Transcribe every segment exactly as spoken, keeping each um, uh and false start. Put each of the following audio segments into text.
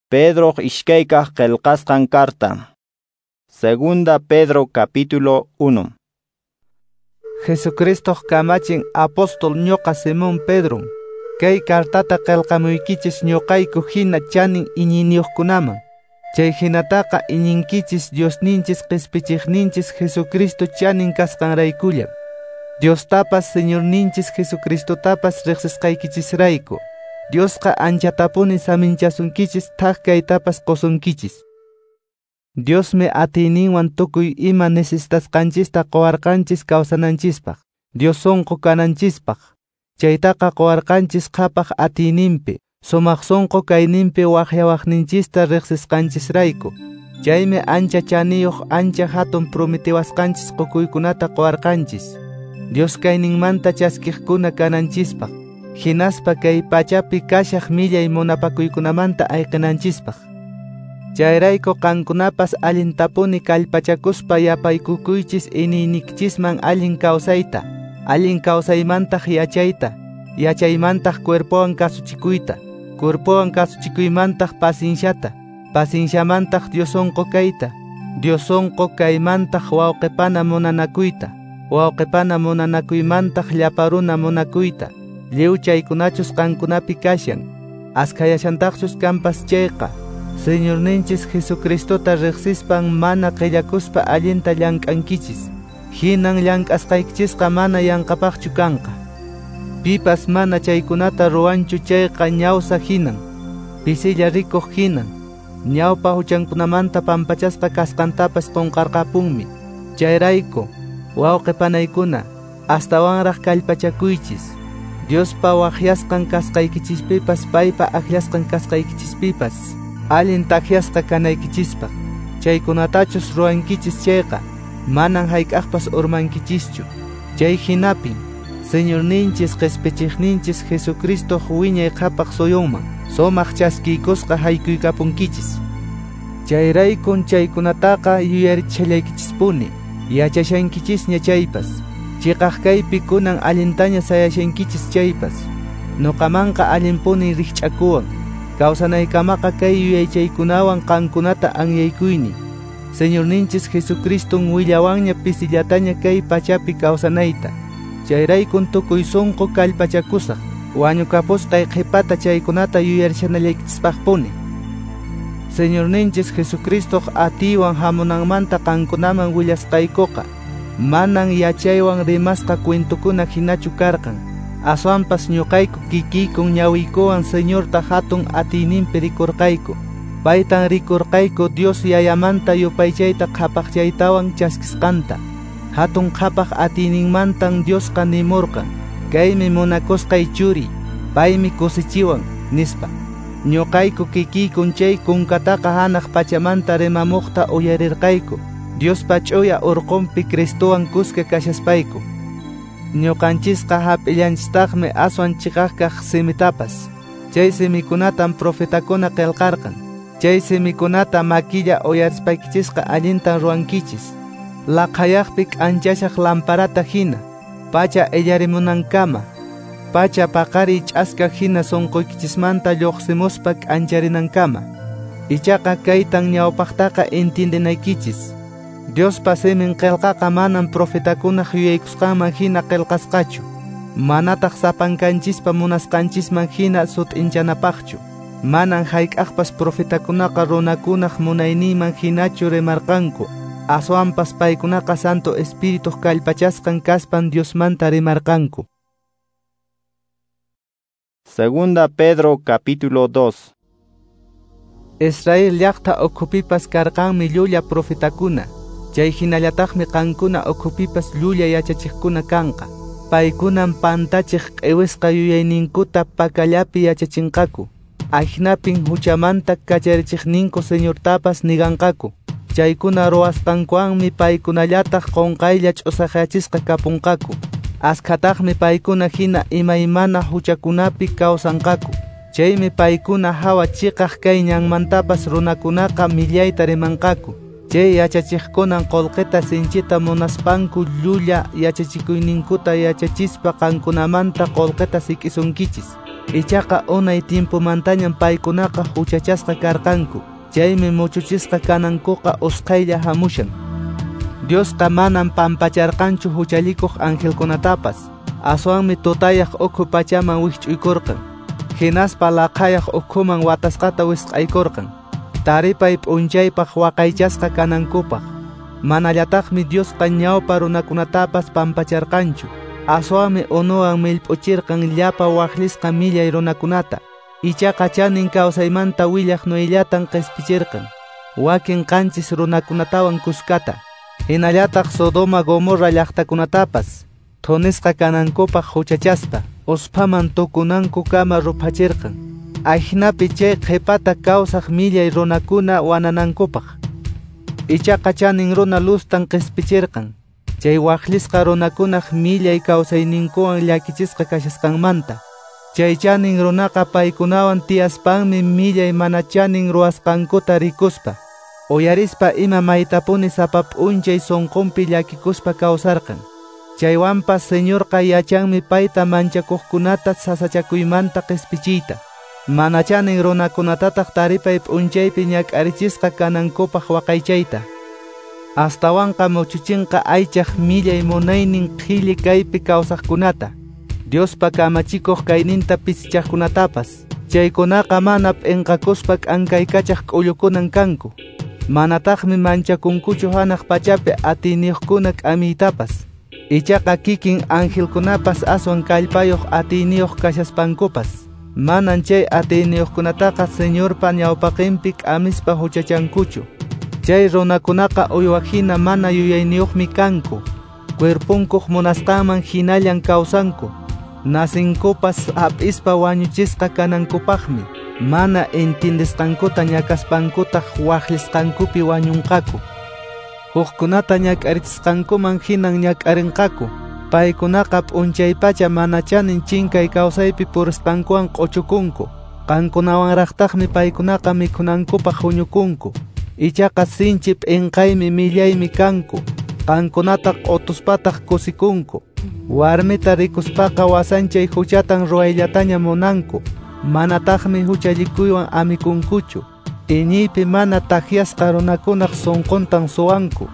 Pedro ishkaykaq qillqasqan carta. Segunda Pedro capítulo uno. Jesucristo kamachin apóstol ñoqa Simón Pedro. Kay cartata qillqamuykichis ñuqayku hina chanin iñiniyuqkunaman. Chay hinataqa iñinkichis Diosninchis qispichiqninchis Jesucristo chanin kasqanraykullam. Diostapas Señorninchis Jesucristotapas riqsisqaykichisrayku. Diosqa anchatapuni saminchasunkichis thak kaytapas qusunkichis. Diosmi atiyninwan tukuy ima necesitasqanchista quwarqanchis kawsananchispaq, Dios sunqu kananchispaq. Chaytaqa quwarqanchis qhapaq atiyninpi, sumaq sunqu kayninpi waqyawaqninchista riqsisqanchisrayku. Chaymi ancha chaniyuq ancha hatun prometiwasqanchis qukuykunata quwarqanchis. Dios kayninmanta chaskiqkuna kananchispaq, hinaspa kay pachapi kashaq millay munapakuykunamanta ayqinanchispaq. Chayrayku qankunapas allintapuni kallpachakuspa yapaykukuychis iñiynikchisman allin kawsayta, allin kawsaymantaq yachayta, yachaymantaq cuerpowan kasuchikuyta, cuerpowan kasuchikuymantaq pasinshata, pasinshamantaq Dios sunqu kayta, Dios sunqu kaymantaq wawqipana munanakuyta, wawqipana munanakuymantaq llapa runa munakuyta. Lliw chaykunachus qankunapi kashan, askhayashantaqchus kanpas chayqa, Señorninchis Jesucristota riqsispan mana qillakuspa allinta llank'ankichis. Hinan llank'asqaykichisqa mana yanqapaqchu kanqa. Pipas mana chaykunata ruwanchu chayqa ñawsa hinan, pisilla rikuq hinan, ñawpa huchankunamanta pampachasqa kasqantapas qunqarqapunmi. Chayrayku, wawqi panaykuna, astawanraq kallpachakuychis. Diospa waqyasqan kasqaykichispipas, paypa akllasqan kasqaykichispipas, allin takyasqa kanaykichispaq. Chaykunatachus ruwankichis chayqa, manan hayk'aqpas urmankichischu. Chay hinapin, Señorninchis qispichiqninchis Jesucristo wiñay qhapaq suyunman, sumaq chaskiykusqa haykuykapunkichis. Chayraykun chaykunataqa yuyarichallaykichispuni, yachashankichisña chaypas. Chiqaq kaypi kunan allintaña sayashankichis chaypas. Nuqamanqa allinpuni rikch'akuwan. Kawsanaykamaqa kay yuyaychaykunawan qankunata anyaykuyni. Señorninchis Jesucriston willawanña pisillataña kay pachapi kawsanayta. Chayraykun tukuy sunqu kallpachakusaq, wañukapusqay qhipata chaykunata yuyarishanallaykichispaqpuni. Señorninchis Jesucristoq atiywan hamunanmanta qankunaman willasqaykuqa, manan yachaywan rimasqa cuentukuna hinachu karqan. Aswanpas ñuqayku kikiykun ñawiykuwan Señorta hatun atiyninpi rikurqayku. Paytan rikurqayku Dios yayamanta yupaychayta qhapaqchaytawan chaskisqanta. Hatun qhapaq atiyninmantan Diosqa nimurqan, kaymi munakusqay churi, paymi kusichiwan, nispa. Ñuqayku kikiykun chay kunkataqa hanaq pachamanta rimamuqta uyarirqayku, Diospa ch'uya urqunpi Cristowan kuska kashaspayku. Ñuqanchisqa hap'illanchistaqmi aswan chiqaqkaq simitapas. Chay simikunatan profetakuna qillqarqan. Chay simikunata makilla uyarispaykichisqa allintan ruwankichis. Laqhayaqpi k'anchashaq lamparata hina, pacha illarimunankama, pacha paqariy ch'aska hina sunquykichismanta lluqsimuspa k'ancharinankama. Ichaqa kaytan ñawpaqtaqa entiendenaykichis. Diospa simin qillqaqa manan profetakunaq yuyaykusqanman hina qillqasqachu, manataq sapankanchispa munasqanchisman hina sut'inchanapaqchu. Manan hayk'aqpas profetakunaqa runakunaq munayninman hinachu rimarqanku, aswanpas paykunaqa Santo Espirituq kallpachasqan kaspan Diosmanta rimarqanku. Segunda Pedro capítulo dos. Israel llaqta ukhupipas karqanmi llulla profetakuna. Chay hinallataqmi qankuna ukhupipas llulla yachachiqkuna kanqa. Paykunan pantachiq q'iwisqa yuyayninkuta pakallapi yachachinqaku. Ahinapin huchamanta kacharichiqninku Señortapas niganqaku. Chaykuna ruwasqankuwanmi paykunallataq qunqaylla ch'usaqyachisqa kapunqaku. Askhataqmi paykuna hina imaymana huchakunapi kawsanqaku. Chaymi paykuna hawa chiqaq kay ñanmantapas runakunaqa millayta rimanqaku. Chay yachachiqkunan qullqita sinchita munaspanku llulla yachachikuyninkuta yachachispa qankunamanta qullqita sik'isunkichis. Ichaqa unay timpumantañam paykunaqa huchachasqa karqanku. Chaymi muchuchisqa kanankuqa usqhaylla hamushan. Diosqa manam pampacharqanchu huchallikuq angelkunatapas. Aswanmi tutayaq ukhu pachaman wikch'uykurqan. Hinaspa laqhayaq ukhuman watasqata wisq'aykurqan. Taripay p'unchaypaq waqaychasqa kanankupaq. Manallataqmi Diosqa ñawpa runakunatapas pampacharqanchu. Aswanmi unuwan millp'uchirqan llapa waqllisqa millay runakunata. Ichaqa chanin kawsaymanta willaq Noellatan qispichirqan. Wakin qanchis runakunatawan kuskata. Hinallataq Sodoma Gomorra llaqtakunatapas thunisqa kanankupaq huchachaspa usphaman tukunankukama ruphachirqan. Ajinapi chay qhipata kawsaq millay runakuna wananankupaq. Ichaqa chanin runa Luztan qispichirqan. Chay waqllisqa runakunaq millay kawsayninkuwan llakichisqa kashasqanmanta. Chay chanin runaqa paykunawan tiyaspanmi millay mana chanin ruwasqankuta rikuspa. Uyarispa ima maytapuni sapa p'unchay sunqunpi llakikuspa kawsarqan. Chaywanpas Señorqa yachanmi payta manchakuqkunata sasachakuymanta qispichiyta. Mana chanin runakunatataq taripay p'unchaypi ñak'arichisqa kanankupaq waqaychayta. Astawanqa muchuchinqa aychaq millay munaynin qhilli kaypi kawsaqkunata. Diospa kamachikuq kayninta pisichaqkunatapas. Chaykunaqa mana p'inqakuspa k'ankaykachaq k'ullukunan kanku. Manataqmi manchakunkuchu hanaq pachapi atiyniyuqkuna k'amiytapas. Ichaqa kikin angelkunapas aswan kallpayuq atiyniyuq kashaspankupas. Manan chay atiyniyuqkunataqa Señorpa ñawpaqinpi k'amispa huchachankuchu. Chay runakunaqa uywahina mana yuyayniyuqmi kanku. Cuerpunkuq munasqanman hinallan kawsanku. Nasinkupas hap'ispa wañuchisqa kanankupaqmi. Mana entendisqankuta ñakaspankutaq waqllisqankupi wañunqaku. Hukkunata ñak'arichisqankuman hinan ñak'arinqaku. Paykunaqa p'unchaypacha mana chanin chinkay kawsaypi purisqankuwan q'uchukunku. Qankunawanraqtaqmi paykunaqa mikhunankupaq huñukunku. Ichaqa sinchi p'inqaymi millaymi kanku. Qankunata q'utuspataq kusikunku. Warmita rikuspaqa wasanchay huchatan ruwayllataña munanku. Manataqmi huchallikuywan amikunkuchu. Iñiypi mana takyasqa runakunaq sunquntan suwanku.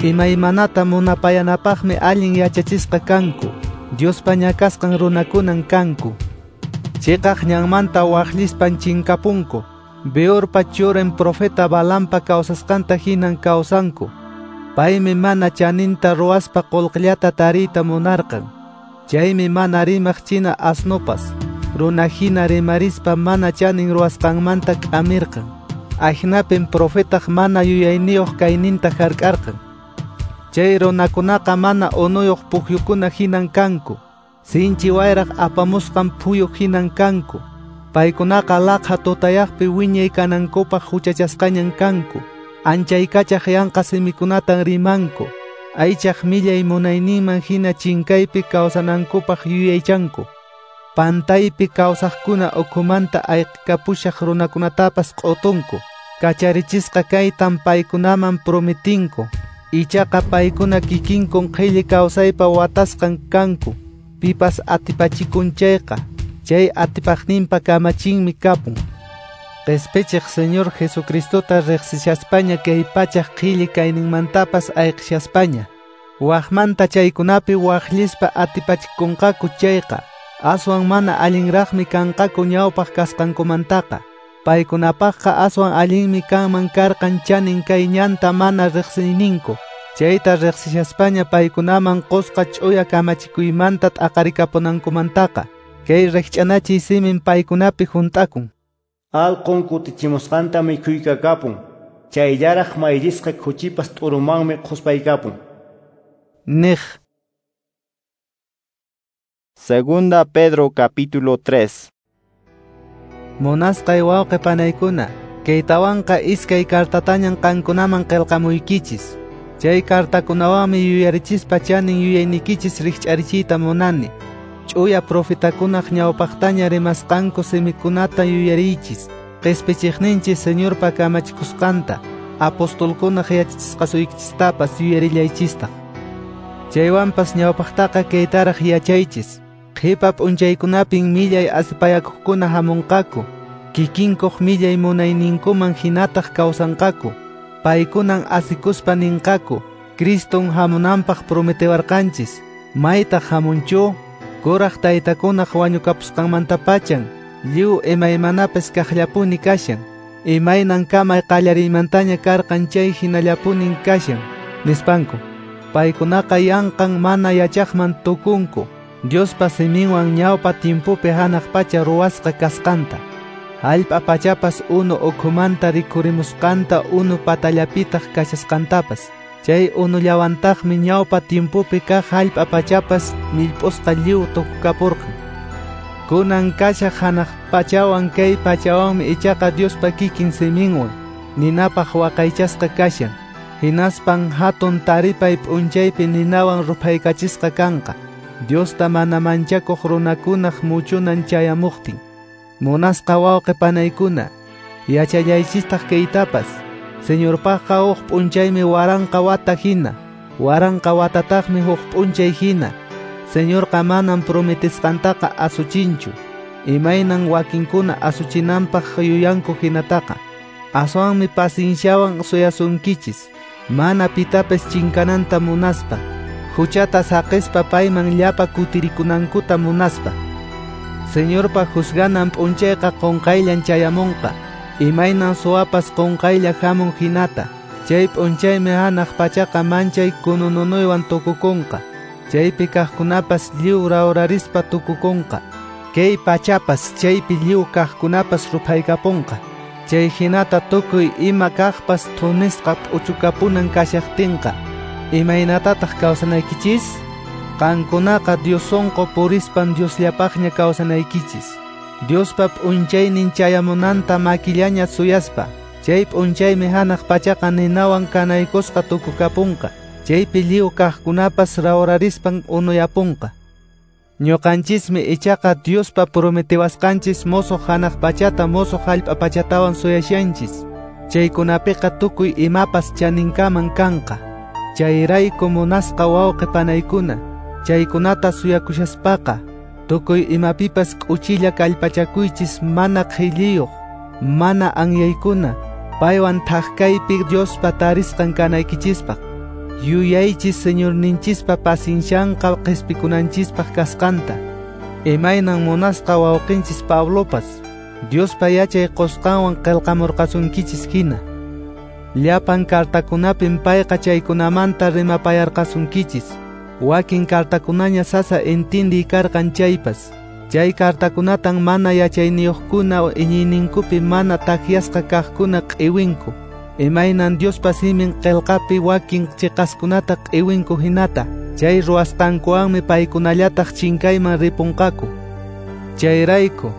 Imaymanata munapayanapaqmi allin yachachisqa kanku. Diospa ñakasqan runakunan kanku. Chiqaq ñanmanta waqllispan chinkapunku. Beorpa churin profeta Balaampa kawsasqanta hinan kawsanku. Paymi mana chaninta ruwaspa qullqillata tariyta munarqan. Chaymi mana rimaq china asnupas. Runa hina rimarispa mana chanin ruwasqanmanta k'amirqan. Ajinapin profetaq mana yuyayniyuq kayninta hark'arqan. Chay runakunaqa mana unuyuq pukyukuna hinan kanku. Sinchi wayraq apamusqan phuyu hinan kanku. Paykunaqa laqha tutayaqpi wiñay kanankupaq huchachasqañan kanku. Anchaykachaq yanqa simikunatan rimanku. Aychaq millay munayninman hina chinkaypi kawsanankupaq yuyaychanku. Pantaypi kawsaqkuna ukhumanta ayqikapushaq runakunatapas q'utunku. Kacharichisqa kaytan paykunaman prometinku. Ichaqa paykuna kikinkun qhilli kawsaypa watasqan kanku. Pipas atipachikun chayqa, chay atipaqninpa kamachinmi kapun. Qhispichiq Señor Jesucristota riqsishaspaña kay pachaq qhilli kayninmantapas ayqishaspaña. Waqmanta chaykunapi waqllispa atipachikunqaku chayqa, aswan mana allinraqmi kanqaku ñawpaq kasqankumantaqa. Paykunapaqqa aswan allinmi kanman karqan chanin kay ñanta mana riqsiyninku. Chayta riqsishaspaña paykunaman qusqa ch'uya kamachikuymanta t'aqarikapunankumantaqa. Kay riqch'anachiy simin paykunapi hunt'akun. Alqun kutichimusqanta mikhuykakapun. Chayllaraq mayllisqa khuchipas t'urumanmi qhuspaykapun. Niq. Segunda Pedro capítulo tres. Munasqay wawqi panaykuna, kaytawanqa iskay kartatañan qankunaman qillqamuykichis. Chay kartakunawanmi yuyarichispa chanin yuyaynikichis rikch'arichiyta munani. Ch'uya profetakunaq ñawpaqtaña rimasqanku simikunata yuyariychis. Qispichiqninchis Señorpa kamachikusqanta, apostolkunaq yachachisqasuykichistapas yuyarillaychistaq. Chaywanpas ñawpaqtaqa kaytaraq yachaychis. Qhipa p'unchaykunapin millay asipayakuqkuna hamunqaku, kikinkuq millay munayninkuman hinataq kawsanqaku. Paykunan asikuspa ninqaku, Criston hamunanpaq prometewarqanchis, maytaq hamunchu? Kuraq taytakunaq wañukapusqanmantapachan, lliw imaymanapis kaqllapuni kashan. Imaynan kamay qallariymantaña karqan chay hinallapunin kashan, nispanku. Paykunaqa yanqan mana yachaqman tukunku, Diospa siminwan ñawpa timpupi hanaq pacha ruwasqa kasqanta. Hallp'a pachapas unu ukhumanta rikhurimusqanta unu patallapitaq kashasqantapas. Chay unullawantaqmi ñawpa timpupi kaq hallp'a pachapas millp'usqa lliw tukukapurqan. Kunan kashaq hanaq pachawan kay pachawanmi ichaqa Diospa kikin siminwan ninapaq waqaychasqa kashan. Hinaspan hatun taripay p'unchaypi ninawan ruphaykachisqa kanqa, Diosta mana manchakuq runakunaq muchunan chayamuqtin. Munasqa wawqi panaykuna, yachallaychistaq kaytapas, Señorpaqqa huk p'unchaymi waranqa wata hina, waranqa watataqmi huk p'unchay hina. Señorqa manam prometisqantaqa asuchinchu, imaynan wakinkuna asuchinanpaq yuyanku hinataqa. Aswanmi pacienciawan suyasunkichis, mana pitapis chinkananta munaspa, huchata saqispa payman llapa kutirikunankuta munaspa. Señorpa juzganan p'unchayqa qunqayllan chayamunqa, imaynan suwapas qunqaylla hamun hinata. Chay p'unchaymi hanaq pachaqa manchay kunununuywan tukukunqa, chaypi kaqkunapas lliw rawrarispa tukukunqa, kay pachapas chaypi lliw kaqkunapas ruphaykapunqa. Chay hinata tukuy ima kaqpas thunisqa p'uchukapunan kashaqtinqa, imaynatataq kawsanaykichis? Qankunaqa Dios sonqo purispan Diosllapaqña kawsanaykichis. Diospa p'unchaynin chayamunanta makillaña suyaspa, chay p'unchaymi hanaq pachaqa ninawan kanaykusqa tukukapunqa, chaypi lliw kaqkunapas rawrarispan unuyapunqa. Ñuqanchismi ichaqa Diospa prometewasqanchis mosoq hanaq pachata mosoq hallp'a pachatawan suyashanchis. Chaykunapiqa tukuy imapas chaninkaman kanqa. Chayrayku munasqa wawqi panaykuna, chaykunata suyakushaspaqa, tukuy imapipas k'uchilla kallpachakuychis mana qhilliyuq, mana anyaykuna, paywan thaqkaypi Diospa tarisqan kanaykichispaq. Yuyaychis Señorninchispa paciencianqa qhispikunanchispaq kasqanta. Imaynan munasqa wawqinchis Pablopas, Diospa yachay qusqanwan qillqamurqasunkichis hina. Llapan cartakunapin payqa chaykunamanta rimapayarqasunkichis. Wakin cartakunaña sasa entindiy karqan chaypas. Chay cartakunatan mana yachayniyuqkuna iñiyninkupi mana takyasqa kaqkuna q'iwinku. Imaynan Diospa simin qillqapi wakin chiqaskunata q'iwinku hinata. Chay ruwasqankuwanmi paykunallataq chinkayman ripunqaku. Chayrayku,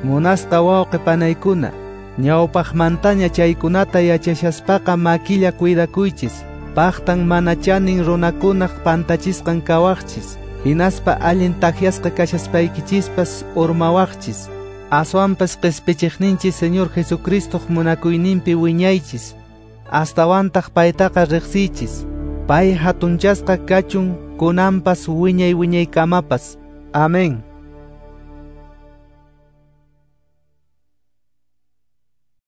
munasqa wawqi panaykuna, ñawpaqmantaña chaykunata yachashaspaqa makilla cuidakuychis. Paqtan mana chanin runakunaq pantachisqan kawaqchis, hinaspa allin takyasqa kashaspaykichispas urmawaqchis. Aswanpas qispichiqninchis Señor Jesucristoq munakuyninpi wiñaychis. Astawantaq paytaqa riqsiychis. Pay hatunchasqa kachun kunanpas wiñay wiñaykamapas. Amén.